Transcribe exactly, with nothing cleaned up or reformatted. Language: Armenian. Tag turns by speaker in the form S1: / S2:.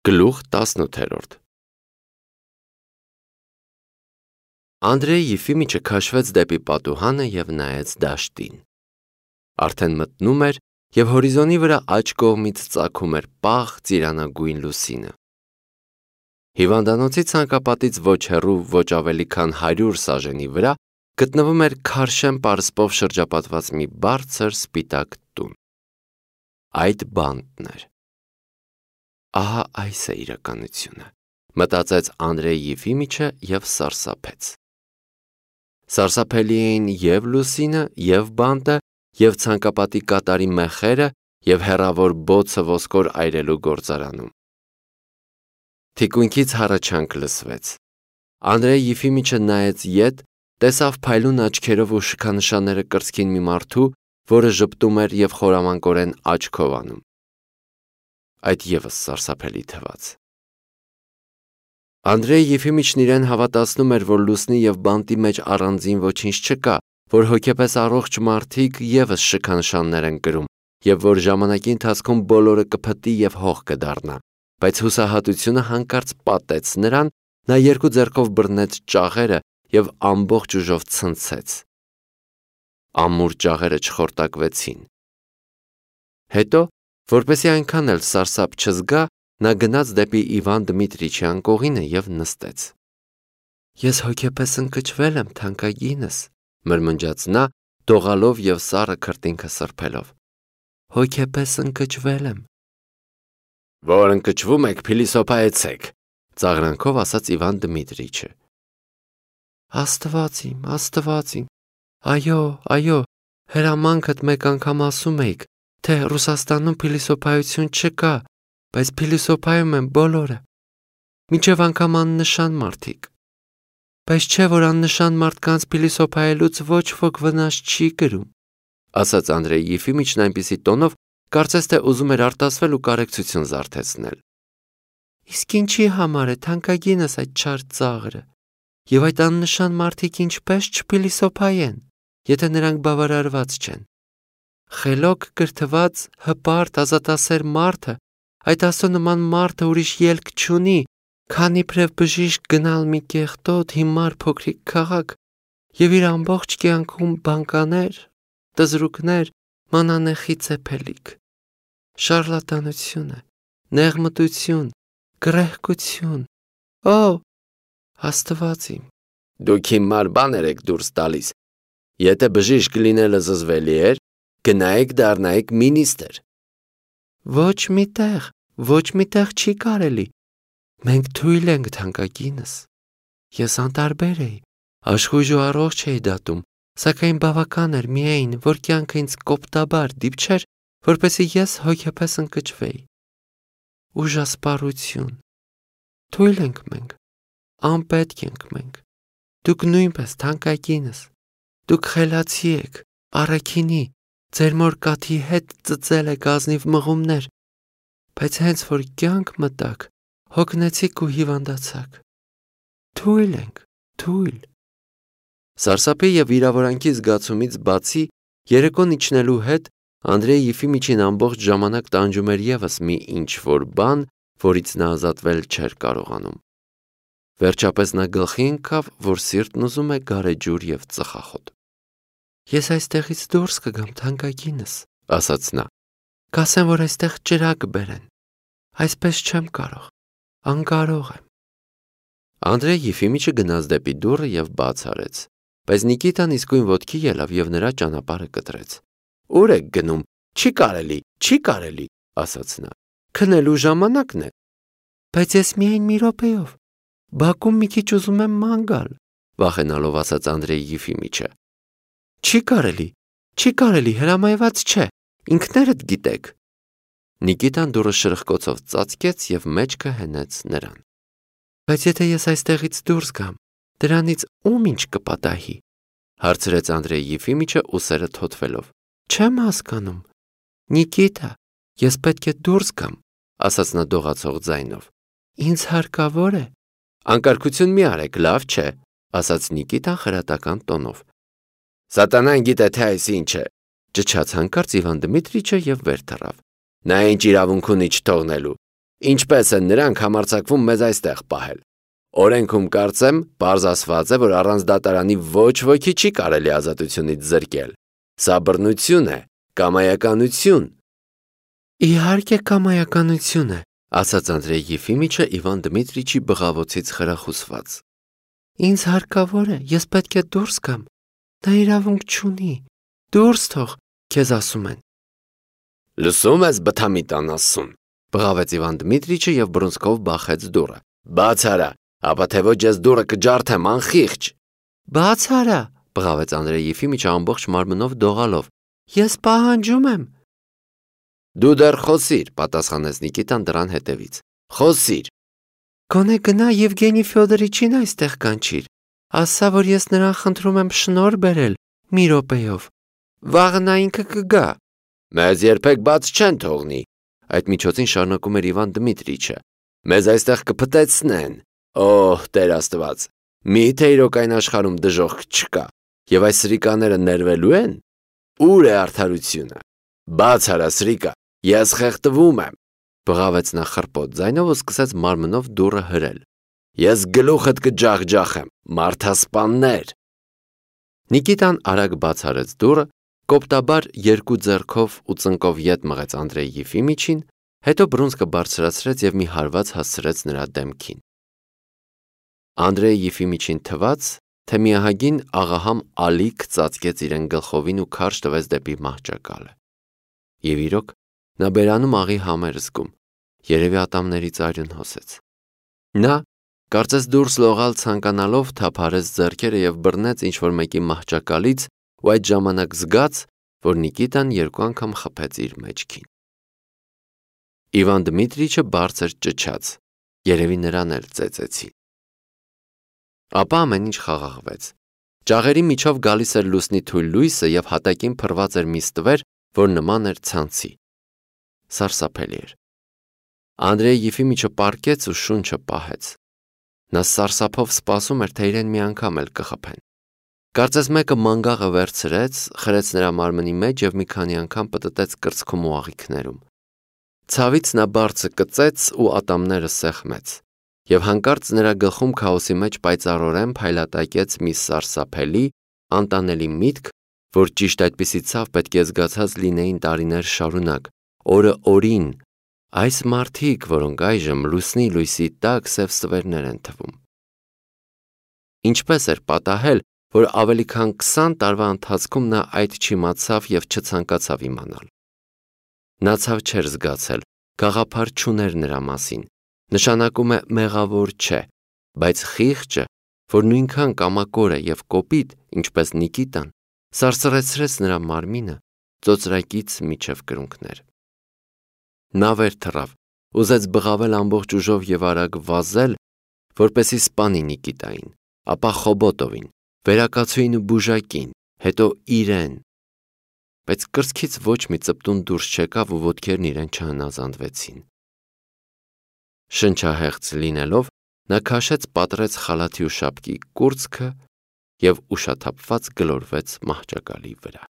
S1: Գլուխ տասնութ Անդրեյ Եֆիմիչը քաշվեց դեպի պատուհանը և նայեց դաշտին։ Արդեն մտնում էր, և հորիզոնի վրա աջ կողմից ծագում էր պաղ ծիրանագույն լուսինը։ Հիվանդանոցի ցանկապատից ոչ հեռու, ոչ ավելի քան հարյուր սաժենի վրա գտնվում էր քարշեն պարսպով շրջապատված մի բարձր սպիտակ տուն։ Այդ բանտն էր։ Ահա այս է իրականությունը, մտածեց Անդրեյ Եֆիմիչը և սարսափեց։ Սարսափելի էին և լուսինը, և բանտը, և ցանկապատի կատարի մեխերը, և հեռավոր բոցը ոսկոր այրելու գործարանում։ Թիկունքից հառաչանք լսվեց։ Անդրեյ Եֆիմիչը նայեց ետ, տեսավ փայլուն աչքերով ու շքանշանները կրծքին մի մարդու, որը ժպտում էր և խորամանկորեն աչքով անում։ Այդ ևս սարսափելի թվաց։ Անդրեյ Եֆիմիչն իրեն հավատացնում էր, որ լուսնի և բանտի մեջ առանձին ոչինչ չկա, որ հոգեպես առողջ մարդիկ ևս շքանշաններ են կրում, և որ ժամանակի ընթացքում բոլորը կփտի և հող կդառնա, բայց հուսահատությունը հանկարծ պատեց նրան, նա երկու ձեռքով բռնեց ճաղերը և ամբողջ ուժով ցնցեց։ Ամուր ճաղերը չխորտակվեցին։ Հետո, որպեսզի այնքան էլ սարսափ չզգա, նա գնաց դեպի Իվան Դմիտրիչի անկողինը և նստեց։ Ես հոգեպես ընկճվել եմ, թանկագինս, մրմնջաց նա, դողալով և սառը քրտինքը սրբելով։ Հոգեպես ընկճվել եմ։ Որ ընկճվում եք, փիլիսոփայեցեք, ծաղրանքով ասաց Իվան Դմիտրիչը։ Աստված իմ, Աստված իմ, այո, այո, հրամանքդ մեկ անգամ ասում էիք, թե Ռուսաստանում փիլիսոփայություն չկա, բայց փիլիսոփայում են բոլորը, մինչև անգամ աննշան մարդիկ, բայց չէ, որ աննշան մարդկանց փիլիսոփայելուց ոչ ոք վնաս չի կրում, ասաց Անդրեյ Եֆիմիչն այնպիսի տոնով, կարծես թե ուզում էր արտասվել ու կարեկցություն զարթեցնել։ Իսկ ինչի համար է թանկագինս այդ չար ծաղրը, և այդ աննշան մարդիկ ինչպես չփիլիսոփայեն, եթե նրանք բավարարված չեն։ Խելոք կրթված, հպարտ, ազատասեր մարդը, այդ աստծո նման մարդը ուրիշ ելք չունի, քան իբրև բժիշկ գնալ մի կեղտոտ, հիմար փոքրիկ քաղաք և իր ամբողջ կյանքում բանկաներ, տզրուկներ, մանանեխի ծեփելիք։ Շառլատանություն է, նեղմտություն, գռեհկություն։ Օ, Աստված իմ։ Դուք հիմար բաներ եք դուրս տալիս։ Եթե բժիշկ լինելը զզվելի էր, գնայիք դառնայիք մինիստր։ Ոչ մի տեղ, ոչ մի տեղ չի կարելի։ Մենք թույլ ենք, թանկագինս։ Ես անտարբեր էի, աշխույժ ու առողջ էի դատում, սակայն բավական էր միայն, որ կյանքը ինձ կոպտաբար դիպչեր, որպեսզի ես հոգեպես ընկճվեի։ Ուժասպառություն։ Թույլ ենք մենք, անպետք ենք մենք։ Դուք նույնպես, թանկագինս, դուք խելացի եք, առաքինի, ձեր մոր կաթի հետ ծծել եք ազնիվ մղումներ, բայց հենց որ կյանք մտաք, հոգնեցիք ու հիվանդացաք։ Թույլ ենք, թույլ։ Սարսափի և վիրավորանքի զգացումից բացի, երեկոն իջնելու հետ Անդրեյ Եֆիմիչին ամբողջ ժամանակ տանջում էր ևս մի ինչ-որ բան, որից նա ազատվել չէր կարողանում։ Վերջապես նա գլխի ընկավ, որ սիրտն ուզում է գարեջուր և ծխախոտ։ Ես այստեղից դուրս կգամ, թանկագինս, ասաց նա, կասեն, որ այստեղ ճրագ բերեն։ Այսպես չեմ կարող, անկարող եմ։ Անդրեյ Եֆիմիչը գնաց դեպի դուռը և բաց արեց, բայց Նիկիտան իսկույն ոտքի ելավ և նրա ճանապարհը կտրեց։ Ուր եք գնում, չի կարելի, չի կարելի, ասաց նա, քնելու ժամանակն է։ Բայց ես միայն մի րոպեով, բակում մի քիչ ուզում եմ ման գալ, վախենալով ասաց Անդրեյ Եֆիմիչը։ Չի կարելի, չի կարելի, հրամայված չէ, ինքներդ գիտեք։ Նիկիտան դուռը շրխկոցով ծածկեց և մեջքը հենեց նրան։ Բայց եթե ես այստեղից դուրս գամ, դրանից ում ինչ կպատահի, հարցրեց Անդրեյ Եֆիմիչը ուսերը թոթվելով։ Չեմ հասկանում։ Նիկիտա, ես պետք է դուրս գամ, ասաց նա դողացող ձայնով։ Ինձ հարկավոր է։ Անկարգություն մի արեք, լավ չէ, ասաց Նիկիտան խրատական տոնով։ Սատանան գիտե, թե այս ինչ է, ճչաց հանկարծ Իվան Դմիտրիչը և վեր թռավ։ Նա ինչ իրավունք ունի չթողնելու։
S2: Ինչպես են նրանք համարձակվում մեզ այստեղ պահել։ Օրենքում կարծեմ, պարզ ասված է, որ առանց դատարանի ոչ ոքի չի կարելի ազատությունից զրկել։ Սա բռնություն է, կամայականություն։
S1: Իհարկե կամայականություն է, ասաց Անդրեյ Եֆիմիչը Իվան Դմիտրիչի բղավոցից խրախուսված։ Ինձ հարկավոր է, ես պետք է դուրս գամ։ Նա իրավունք չունի։ Դուրս թող, քեզ ասում են։
S2: Լսում ես բթամիտան ասում,
S1: բղավեց Իվան Դմիտրիչը եւ բռունցքով բախեց դուռը։
S2: Բաց արա, ապա թե ոչ ես դուռը կջարդեմ անխիղճ։
S1: Բաց արա, բղավեց Անդրեյ Եֆիմիչը ամբողջ մարմնով դողալով։ Ես պահանջում եմ։
S2: Դու դեռ խոսիր, պատասխանեց Նիկիտան դրան հետևից։ Խոսիր։
S1: Գոնե գնա Եվգենի Ֆյոդորիչին այստեղ կանչիր։ Ասա, որ ես նրան խնդրում եմ շնորհ բերել մի րոպեով։ Վաղը նա ինքը կգա։
S2: Մեզ երբեք բաց չեն թողնի։
S1: Այդ միջոցին շարունակում էր Իվան Դմիտրիչը։
S2: Մեզ այստեղ կփտեցնեն։ Օհ, Տեր Աստված։ Միթե իրոք այն աշխարհում դժոխք չկա։ Եվ այս սրիկաները ներվելու են։ Ուր է արդարությունը։ Բաց արա սրիկա, ես խեղդվում եմ։
S1: Բղավեց նա խռպոտ ձայնով ու սկսեց մարմնով դուռը հրել։
S2: Ես գլուխդ կջախջախեմ, մարդասպաններ։
S1: Նիկիտան արագ բաց արեց դուռը, կոպտաբար երկու ձեռքով ու ծնկով ետ մղեց Անդրեյ Եֆիմիչին, հետո բռունցքը բարձրացրեց եւ մի հարված հասցրեց նրա դեմքին։ Անդրեյ Եֆիմիչին թվաց, թե միահագին աղահամ ալիք ծածկեց իրեն գլխովին ու քարշ տվեց դեպի մահճակալը։ Եվ իրոք, նա բերանում աղի համեր զգում, երևի ատամներից արյուն հոսեց։ Նա, կարծես դուրս լողալ ցանկանալով, թափարեց ձեռքերը եւ բռնեց ինչ-որ մեկի մահճակալից ու այդ ժամանակ զգաց, որ Նիկիտան երկու անգամ խփեց իր մեջքին։ Իվան Դմիտրիչը բարձր ճչաց, երևի նրան էլ ծեծեցին։ Ապա ամեն ինչ խաղաղվեց։ Ճաղերի միջով գալիս էր լուսնի թույլ լույսը եւ հատակին փռված էր մի ստվեր, որ նման էր ցանցի։ Սարսափելի էր։ Անդրեյ Եֆիմիչը պառկեց ու շունչը պահեց։ Նա սարսափով սպասում էր, թե իրեն մի անգամ էլ կխփեն։ Կարծես մեկը մանգաղը վերցրեց, խրեց նրա մարմնի մեջ եւ մի քանի անգամ պտտեց կրծքում ու աղիքներում։ Ցավից նա բարձը կծեց ու ատամները սեղմեց։ Եվ հանկարծ նրա գլխում քաոսի մեջ պայծառորեն փայլատակեց մի սարսափելի, անտանելի միտք, որ ճիշտ այդպիսի ցավ պետք է զգացած լինեին տարիներ շարունակ, օրը օրին, այս մարդիկ, որոնք այժմ լուսնի լույսի տակ սև ստվերներ են թվում։ Ինչպես էր պատահել, որ ավելի քան քսան տարվա ընթացքում նա այդ չիմացավ եւ չցանկացավ իմանալ։ Նա ցավ չէր զգացել, գաղափար չուներ նրա մասին, նշանակում է մեղավոր չէ, բայց խիղճը, որ նույնքան կամակոր է եւ կոպիտ, ինչպես Նիկիտան, սարսռեցրեց նրա մարմինը ծոծրակից միջև կրունկներ։ Նա վեր թռավ, ուզեց բղավել ամբողջ ուժով եւ արագ վազել, որպեսի սպանի Նիկիտային, ապա Խոբոտովին, վերակացուին ու բուժակին, հետո իրեն։ Բայց կրծքից ոչ մի ծպտուն դուրս չեկավ ու ոտքերն իրեն չհնազանդվեցին։ Շնչահեղձ լինելով, նա քաշեց պատռեց խալաթի ու շապկի կուրծքը եւ ուշաթափված գլորվեց մահճակալի վրա։